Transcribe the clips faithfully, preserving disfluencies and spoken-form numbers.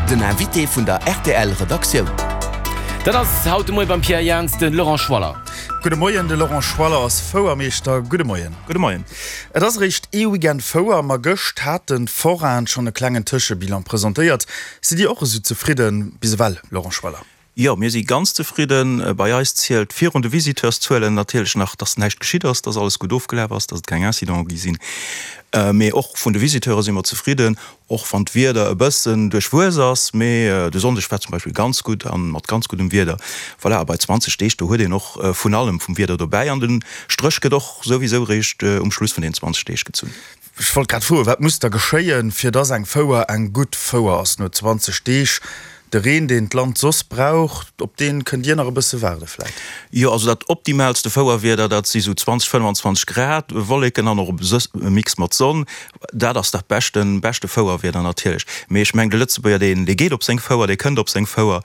Den Invité vun der R T L Redaktioun. Dat ass haut de Moie beim Pierre Jans de Laurent Schwaller. Gudde Moien, de Laurent Schwaller ass Fouermeeschter. Gudde Moien. Gudde Moien. Et ass eréischt ee Weekend Fouer, ma gëscht haten d'Forainen schonn e klengen Tëschebilan presentéiert. Sidd Dir och esou zefridden bis ewell, Laurent Schwaller? Jo, mir si ganz zefridden. Bei eis zielt virun de Visiteurszuelen natierlech nach, dass näischt geschitt ass, dass alles gutt ofgelaf ass, dass et keng Incidente gi sinn. Mee och vun de Visiteure si mer zefridden, och wann d'Wieder e bëssen duerchwuess ass. Mee de Sonndeg war zum Beispill ganz gutt a mat ganz guddem Wieder. Voilà, a bei zwanzeg Deeg, do huet een och vun allem vum Wieder dobäi an de Stréch gëtt och souwisou eréischt um Schluss vun den zwanzeg Deeg gezunn. Ech wollt grad froen, wat muss da geschéien, fir dass eng Fouer eng gutt Fouer ass no zwanzeg Deeg? De Reen, deen d'Land soss brauch, op dee kënnt Dir nach e bësse waarde vläit? Jo, also dat optimaalste Fouerwieder, dat si sou zwanzeg, fënnwanzwanzeg Grad, Wolleken an och e Mix mat Sonn. Dat ass dat beschten, beschte Fouerwieder natierlech. Mee ech mengen, de Lëtzebuerger, deen, dee geet op seng Fouer, dee kënnt op seng Fouer,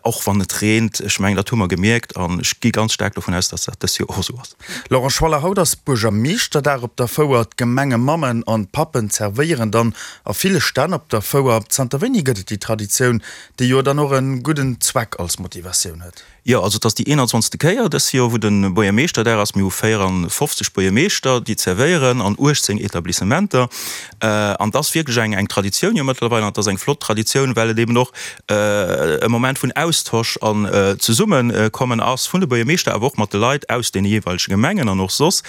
och wann et reent. Ech mengen, dat hu mer gemierkt an ech gi ganz staark dovun aus, dass dat dës Joer och esou ass. Laurent Schwaller, Haut ass Buergermeeschterdag op der Fouer. D'Gemengemammen an d'Pappen zerwéieren dann a ville Stänn op der Fouer. Zanter wéini gëtt et déi Traditioun, déi jo dann och e gudden Zweck als Motivatioun huet? Jo, also et ass déi eenanzwanzegste Kéier dës Joer, wou de Buergermeeschterdag ass. Mir hu véierafofzeg Buergermeeschter, déi zerwéieren an uechtzéng Etablissementer. An et ass wierklech eng eng Traditioun jo mëttlerweil. An et ass eng flott Traditioun, well et eben och e Moment vun Austosch an Zesummekommen ass vun de Buergermeeschter, awer och mat de Leit aus deene jeeweilege Gemengen an och soss.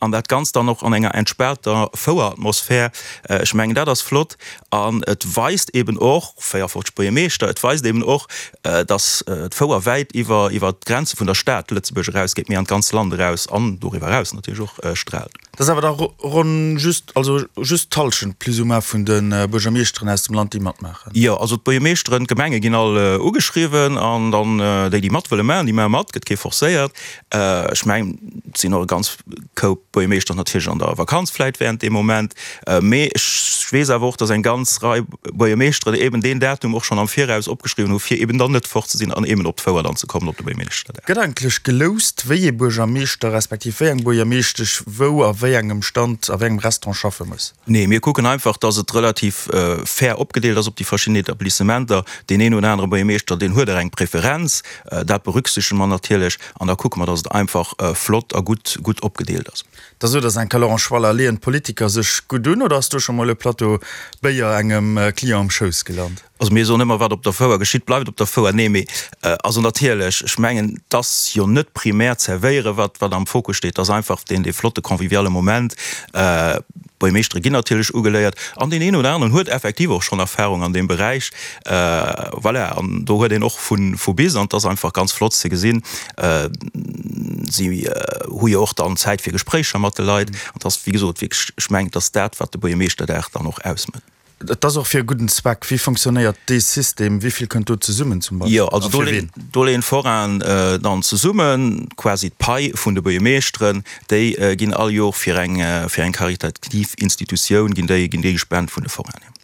An dat Ganzt dann och an enger entspaanter Foueratmosphär. Ech mengen, dat ass flott. An et weist eben och, véierafofzeg Buergermeeschter, et weist eben och, dass d'Fouer wäit iwwer iwwer d'Grenze vun der Stad Lëtzebuerg erausgeet, mee an d'ganz Land eraus an doriwwer eraus natierlech och straalt. Dat ass awer da ronn just, also just d'Hallschent plus ou moins vun de Buergermeeschteren aus dem Land, déi matmaachen. Jo, also d'Buergermeeschteren, d'Gemenge ginn all ugeschriwwen an dann déi, déi mat wëlle maachen, déi maache mat, gëtt kee forcéiert. Ech mengen, et sinn och e ganz Koup Buergermeeschter natierlech an der Vakanz vläit während deem Moment. Mee ech weess awer och, dass eng ganz Rei Buergermeeschteren eben deen Datum och schonn am Viraus opgeschriwwen hu fir eben dann net fort ze sinn an eben op d'Fouer dann ze kommen op de Buergermeeschterdag. Gëtt eigentlech geloust, wéi ee Buergermeeschter respektiv wéi eng Buergermeeschtesch wou a wéi engem Stand, a wéi engem Restaurant schaffe muss? Nee, mir kucken einfach, dass et relativ fair opgedeelt ass op déi verschidden Etablissementer. Deen een oder anere Buergermeeschter, deen huet och eng Preferenz, dat berücksichtege mer natierlech an da kucke mer, dass et einfach flott a gutt, gutt opgedeelt ass. Da sot der enker, Laurent Schwaller, Leeën d'Politiker sech gutt un oder ass do scho mol e Plateau Béier engem Client am Schouss gelant? Also mir soen ëmmer, wat op der Fouer geschitt, bleift op der Fouer. Nee, mee also natierlech, ech mengen, et ass jo net primär d'Zerwéiere wat wat am Fokus steet, et ass einfach deen dee flotte conviviale Moment. D'Buergermeeschtere ginn natierlech ugeléiert an deen een oder aneren huet effektiv och schonn Erfahrung an deem Beräich. Voilà, an do huet een och vu vu bis an et ass einfach ganz flott ze gesinn. Si hu jo och dann Zäit fir Gespréicher mat de Leit an et ass, wéi gesot, wierklech, ech mengen, et ass dat, wat de Buergermeeschterdag dann och ausmécht. Et ass och fir e gudden Zweck. Wéi fonctionnéiert dee System? Wéi vill kënnt do zesummen zum Beispill? Jo, also do leeën, do leeën d'Forainen dann zesummen, quasi d'Pai vun de Buergermeeschteren, déi ginn all Jor fir eng, fir eng karitativ Institutioun ginn déi, ginn déi gespent vun de Forainen.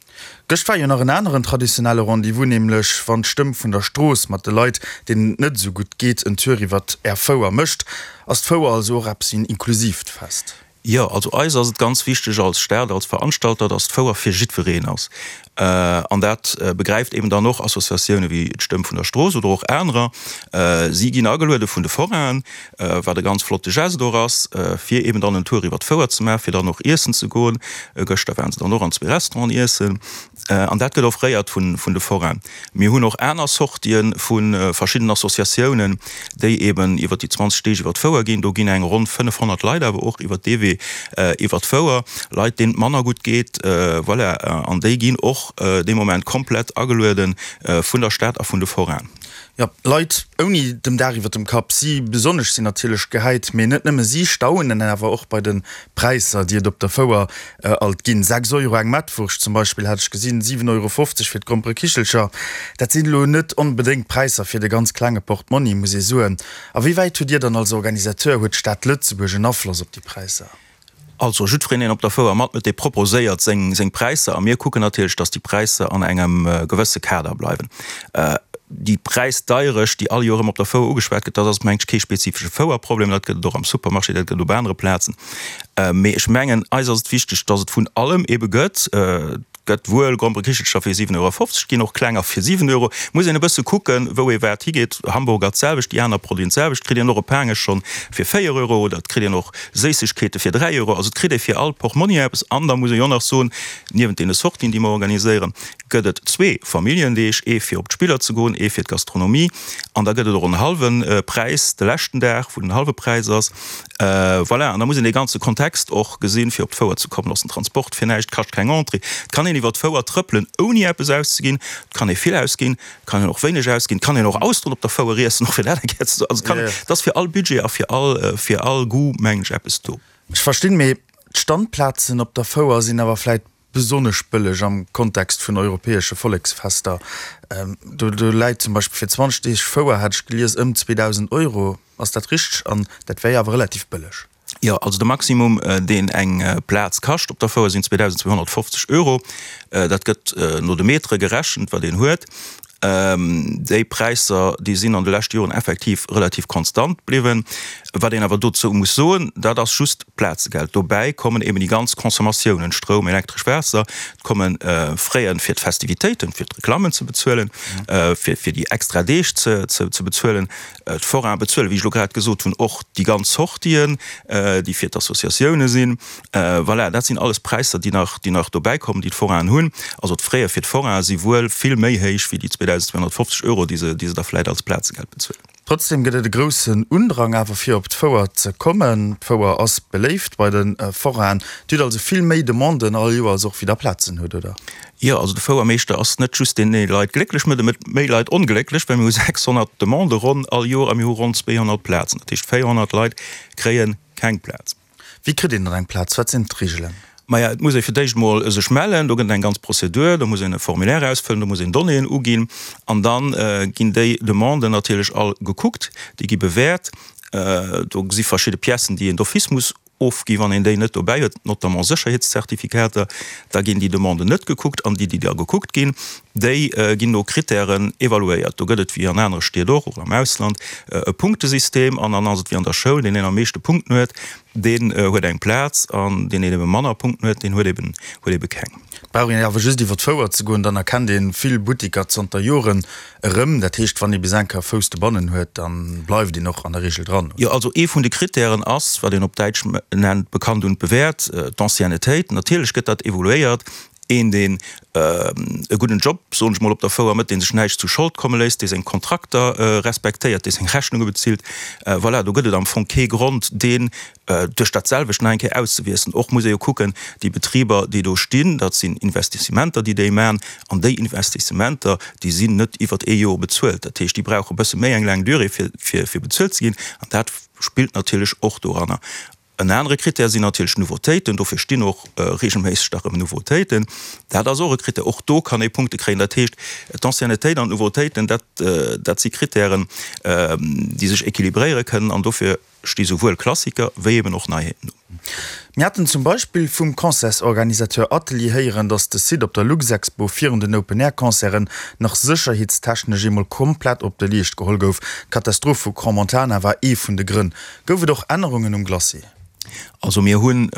Gëscht war jo nach en aneren traditionelle Rendez-vous, nämlech wann d'Stëmm vun der Strooss mat de Leit, deenen et net esou gutt geet, en Tour iwwert Är Fouer mécht. Ass d'Fouer also och eppes wéi en inklusiivt Fest? Jo, also eis ass et ganz wichteg als Stad, als Veranstalter, dass d'Fouer fir jiddwereen ass. An dat begräift eben dann och Associatioune wéi d'Stëmm vun der Strooss oder och anerer. Si ginn ageluede vun de Forainen, wat e ganz flotte Geste och ass, fir eben dann en Tour iwwer d'Fouer ze maachen, fir dann och iessen ze goen. Gëschter waren se dann och an zwee Restauranten iessen. An dat gëtt offréiert vun de Forainen. Mir hunn och aner Sortië vu verschiddenen Associatiounen, déi eben iwwer déi zwanzeg Deeg iwwer d'Fouer ginn. Do ginn eng ronn fënnefhonnert Leit awer och iwwer dee Wee iwwer d'Fouer, Leit, deenen et manner gutt geet, voilà. An déi ginn och dee Moment komplett ageluede vun der Stad a vun de Forainen. Jo, Leit ouni dem Daach iwwer dem Kapp, si besonnesch sinn natierlech gehäit, mee net nëmme si staunen awer och bei de Präisser, déi et op der Fouer alt ginn. Sechs Euro eng Mettwurscht zum Beispill hat ech gesinn, siwen Euro fofzeg fir d'Gromperekichelcher. Dat sinn elo net onbedéngt Präisser fir de ganz klenge Portmonni, muss ee soen. A wéi wäit hutt Dir dann als Organisateur, huet d'Stad Lëtzebuerg en Afloss op déi Präisser? Also jiddwereen, deen op der Fouer matmëtt, dee proposéiert seng seng Präisser a mir kucken natierlech, datt déi Präisser an engem gewësse Kader bleiwen. Déi Präisdeierecht, déi all Joer erëm op der Fouer ugeschwat gëtt, dat ass, mengen ech, kee spezifesche Fouerproblem. Dat gëtt et och am Supermarché, dat gëtt et op anere Plazen. Mee ech mengen, eis ass et wichteg, datt et vun allem ebe gëtt. gëtt wuel Gromperekichelcher fir siwen Euro fofzeg ginn, och klenger fir siwen Euro. Muss een e bësse kucken, wou ee wat higeet. Hamburger d'selwecht, déi aner Produiten d'selwecht. Kritt een och e Paangesch schonn fir véier Euro oder et kritt een och Séissegkeete fir dräi Euro. Also et kritt ee fir all Portmonni eppes. An da muss ee jo nach soen, niewent deene Sortien, déi mer organiséieren, gëtt et zwee Familljendeeg, ee fir op d'Spiller ze goen, ee fir d'Gastronomie. An da gëtt et och en hallwe Präis de leschten Dag, wou den hallwe Präis ass. Voilà, an da muss een dee ganze Kontext och gesinn, fir op d'Fouer ze kommen. Ass den Transport fir näischt, kascht keng Entrée. Et kann een iwwer d'Fouer trëppelen, ouni eppes auszeginn. Et kann ee vill ausginn, et kann een och wéineg ausginn. Et kann een och Austeren op der Fouer iessen, och fir dat eng Kéier ze soen. Also et kann, et ass fir all Budget a fir all, fir all Goût, mengen ech, eppes do. Ech verstinn, mee d'Standplazen op der Fouer sinn awer vläit besonnesch bëlleg am Kontext vun europäesche Volleksfester. Do läit zum Beispill fir zwanzeg Deeg Fouer, hat ech gelies, ëm zweedausend Euro. Ass dat richteg? An dat wär jo awer relativ bëlleg. Jo, also de Maximum, deen eng Plaz kascht op der Fouer, sinn zweedausendzweehonnertfofzeg Euro. Dat gëtt no de Metere gerechent, wat een huet. Déi Präisser, déi sinn an de leschte Joren effektiv relativ konstant bliwwen. Wat een awer dozou muss soen, dat ass just d'Plazegeld. Dobäi kommen eben déi ganz Consommatiounen, Stroum, Elektresch, Waasser. Et komme Frais fir d'Festivitéiten, fir d'Reklammen ze bezuelen, fir fir déi extra Deeg ze ze bezuelen. D'Forainen bezuelen, wéi ech elo grad gesot hunn, och déi ganz Sortien, déi fir d'Associatioune sinn. Voilà, dat sinn alles Präisser, déi nach déi nach dobäi kommen, déi d'Forainen hunn. Also d'Fraie fir d'Forainen si wuel vill méi héich wéi déi zweedausendzweehonnertfofzeg Euro, déi se déi se da vläit als Plazegeld bezuelen. Trotzdem gëtt et e groussen Undrang awer fir op d'Fouer ze kommen. D'Fouer ass beléift bei de Forainen. Dir hutt also vill méi Demanden all Joers och wéi der Plazen hutt, oder? Jo, also de Fouermeeschter ass net just deen, dee Leit glécklech mécht, e mécht méi Leit onglécklech, well mir hu sechshonnert Demandë ronn all Joer a mir hu ronn zweehonnert Plazen. Dat heescht véierhonnert Leit kréie keng Plaz. Wéi kritt een dann eng Plaz? Wat sinn d'Reegelen? Maja, et muss ee fir d'éischt emol sech mellen. Do gëtt et eng ganz Prozedur. Do muss een e Formulaire ausfëllen, do muss een Donnéeën uginn. An da ginn déi Demanden natierlech all gekuckt, déi gi bewäert. Do si verschidde Piècen, déi een d'office muss ofginn, wann een déi net dobäi huet, notamment Sécherheetszertifikater. Da ginn déi Demanden net gekuckt. An déi, déi da gekuckt ginn, déi ginn no Krittären evaluéiert. Do gëtt et, wéi an anere Stied och, och am Ausland, e Punktesystem. An dann ass et wéi an der Schoul, deen een am meeschte Punkten huet, Deen huet eng Plaz an deen, deen ebe manner Punkten huet, deen huet eben, huet ebe keng. Et brauch een awer just iwwer d'Fouer ze goen, dann erkennt ee vill Buttiker zanter Joren erëm. Dat heescht, wann ee bis eng Kéier Fouss dobannen huet, da bleift een och an der Reegel dran, oder? Jo, also ee vun de Krittären ass, wat een op Däitsch nennt bekannt und bewährt, d'Anciennetéit. Natierlech gëtt dat evoluéiert. Een, deen e gudden Job, soen ech mol, op der Fouer mécht, dee sech näischt zu Schold komme léisst, dee seng Kontrakter respektéiert, dee seng Rechnunge bezilt, voilà, do gëtt et am Fong kee Grond, deen duerch dat selwecht nach eng Kéier auszewiessen. Och muss ee jo kucken, déi Betriber, déi do stinn, dat sinn Investissementer, déi déi maachen, an déi Investissementer, déi sinn net iwwert ee Joer bezuelt. Dat heescht, déi brauche e bësse méi eng laang Durée, fir, fir bezuelt ze ginn, an dat spillt natierlech och doranner. En anere Krittär sinn natierlech Nouveautéiten. Dofir stinn och reegelméisseg da rëm Nouveautéiten. Dat ass och e Krittär. Och do kann ee Punkte kréien. Dat heescht, d'Anciennetéit an d'Nouveautéiten, dat, dat si Krittären, déi sech équilibréiere kënnen. An dofir sti souwuel Klassiker wéi eben och Neiheeten do. Mir haten zum Beispill vum Concertsorganisateur Atelier héieren, datt de Site op der Luxexpo virun den Open-Air-Concerten nach sécherheetstechnesch eemol komplett op de Leescht geholl gouf. D'Katastroph vu Crans-Montana war ee vun de Grënn. Gouf et och Ännerungen um Glacis? Also mir hunn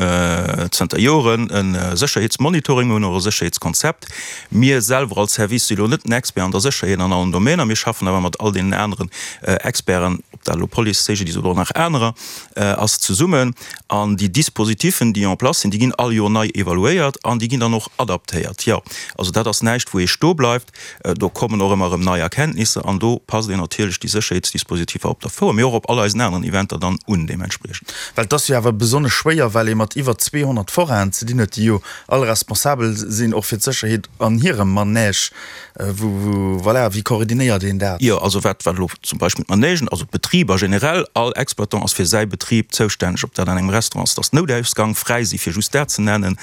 zënter Joren e Sécherheetsmonitoring, mir hunn och e Sécherheetskonzept. Mir selwer als Service si lo net den Expert an der Sécherheet an allen Domainer, mir schaffen awer mat all deenen aneren Experten, ob dat elo Police, C G D I S oder och nach anerer ass, zesummen. An déi Dispositifen, déi en place sinn, déi ginn all Joer nei evaluéiert an déi ginn dann och adaptéiert. Jo, also dat ass näischt, wou ee stoebleift. Do kommen och ëmmer erëm nei Erkenntnisser an do passt een natierlech déi Sécherheetsdispositiver op der Fouer, mee och op all eisen aneren Eventer dann un deementspriechend. Well et ass jo awer besonnesch schwéier, well ee mat iwwer zweehonnert Forainen ze dinn huet, déi jo all responsabel sinn och fir d'Sécherheet an hirem Manège. Wou, wou, voilà, wéi koordinéiert een dat? Jo, also wat, wat elo zum Beispill d'Manègen, also d'Betriber generell, all Exploitant ass fir säi Betrib zoustänneg, ob dat an engem Restaurant ass, dass d'Noutausgang fräi si fir just dat ze nennen,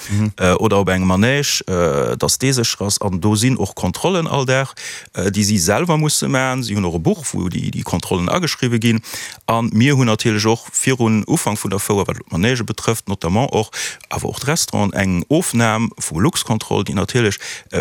oder op engem Manège, dass dee sécher ass. An do sinn och Kontrollen all Dag, déi si selwer musse maachen. Si hunn och e Buch, wou déi Kontrollen ageschriwwe ginn. A mir hunn natierlech och virun Ufank vun der Fouer, wat elo d'Manègë betrëfft notamment och, awer och d'Restauranten, eng Ofnam vu Luxcontrol, déi natierlech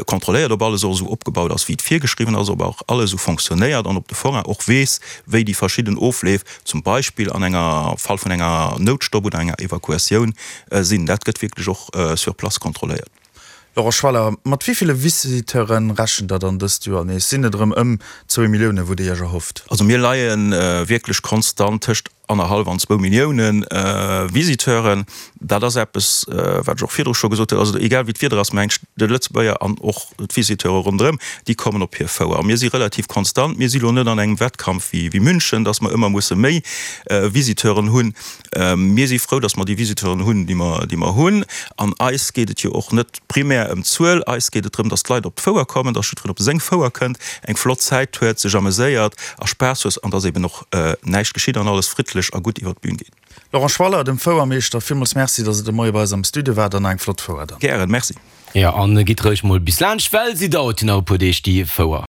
kontrolléiert, ob alles och esou opgebaut ass, wéi et virgeschriwwen ass, ob och alles esou fonctionnéiert an ob de Forain och weess, wéi déi verschidden Ofleef zum Beispill an enger Fall vun enger Noutstopp oder enger Evakuatioun sinn. Dat gëtt wierklech och sur place kontrolléiert. Laurent Schwaller, mat wéi ville Visiteure rechent Der dann dëst Joer nees? Sinn et erëm ëm zwou Millioune wou Dir Iech erhofft? Also mir leie wierklech konstant tëscht annerhallef an zwou Millioune Visiteuren. Dat ass eppes, wat ech och virdru scho gesot hunn. Also egal wéi d'Wieder ass, mengt de Lëtzebuerger an och d'Visiteure ronderëm, déi kommen op hir Fouer. A mir si relativ konstant. Mir si lo net an engem Wettkampf wéi München, datt mer ëmmer musse méi Visiteuren hunn. Mir si frou, datt mer déi Visiteuren hunn, déi mer, déi mer hunn. An eis geet et jo och net primär ëm d'Zuel. Eis geet et drëm, datt d'Leit op d'Fouer kommen, datt jiddwereen op seng Fouer kënnt, eng flott Zäit huet, sech ameséiert a Spaass huet an datt eben och näischt geschitt an alles friddlech a gutt iwwer d'Bün geet. Laurent Schwaller, dem Fouermeeschter, villmools Merci, datt Der de Moie bei eis am Studio waart an eng flott Fouer dann. Gären, Merci. Jo, an gitt roueg mol bis laanscht, well si dauert jo nach e puer Deeg, déi Fouer.